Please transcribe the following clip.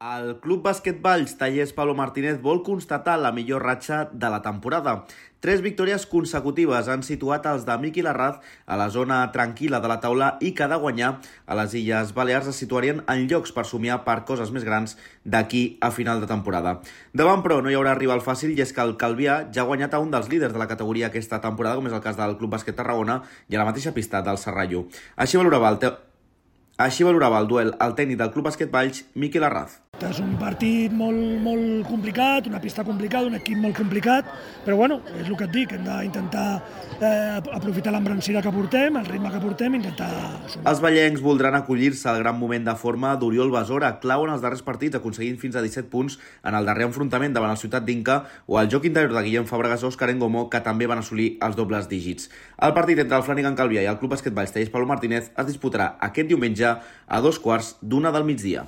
El Club Bàsquet Valls Tallers Pablo Martínez vol constatar la millor ratxa de la temporada. 3 victòries consecutives han situat els de Miqui Larraz a la zona tranquil·la de la taula i que de guanyar a les Illes Balears es situarien en llocs per somiar per coses més grans d'aquí a final de temporada. Davant, però, no hi haurà rival fàcil i és que el Calvià ja ha guanyat a un dels líders de la categoria aquesta temporada, com és el cas del Club Bàsquet Tarragona, i a la mateixa pista del Serrallo. Així valorava el duel el tècnic del Club Bàsquet Valls, Miqui Larraz. És un partit molt complicat, una pista complicada, un equip molt complicat, però bueno, és el que et dic, hem d'intentar aprofitar l'embrancida que portem, el ritme que portem, intentar sumar. Els vallencs voldran acollir-se al gran moment de forma d'Oriol Besora, clau en els darrers partits, aconseguint fins a 17 punts en el darrer enfrontament davant el Ciutat d'Inca, o el joc interior de Guillem Fàbregas o Òscar Engomó, que també van assolir els dobles dígits. El partit entre el Flanagan Calvià i el Club Bàsquet Valls Tallers Pablo Martínez es disputarà aquest diumenge a 2:15 del migdia.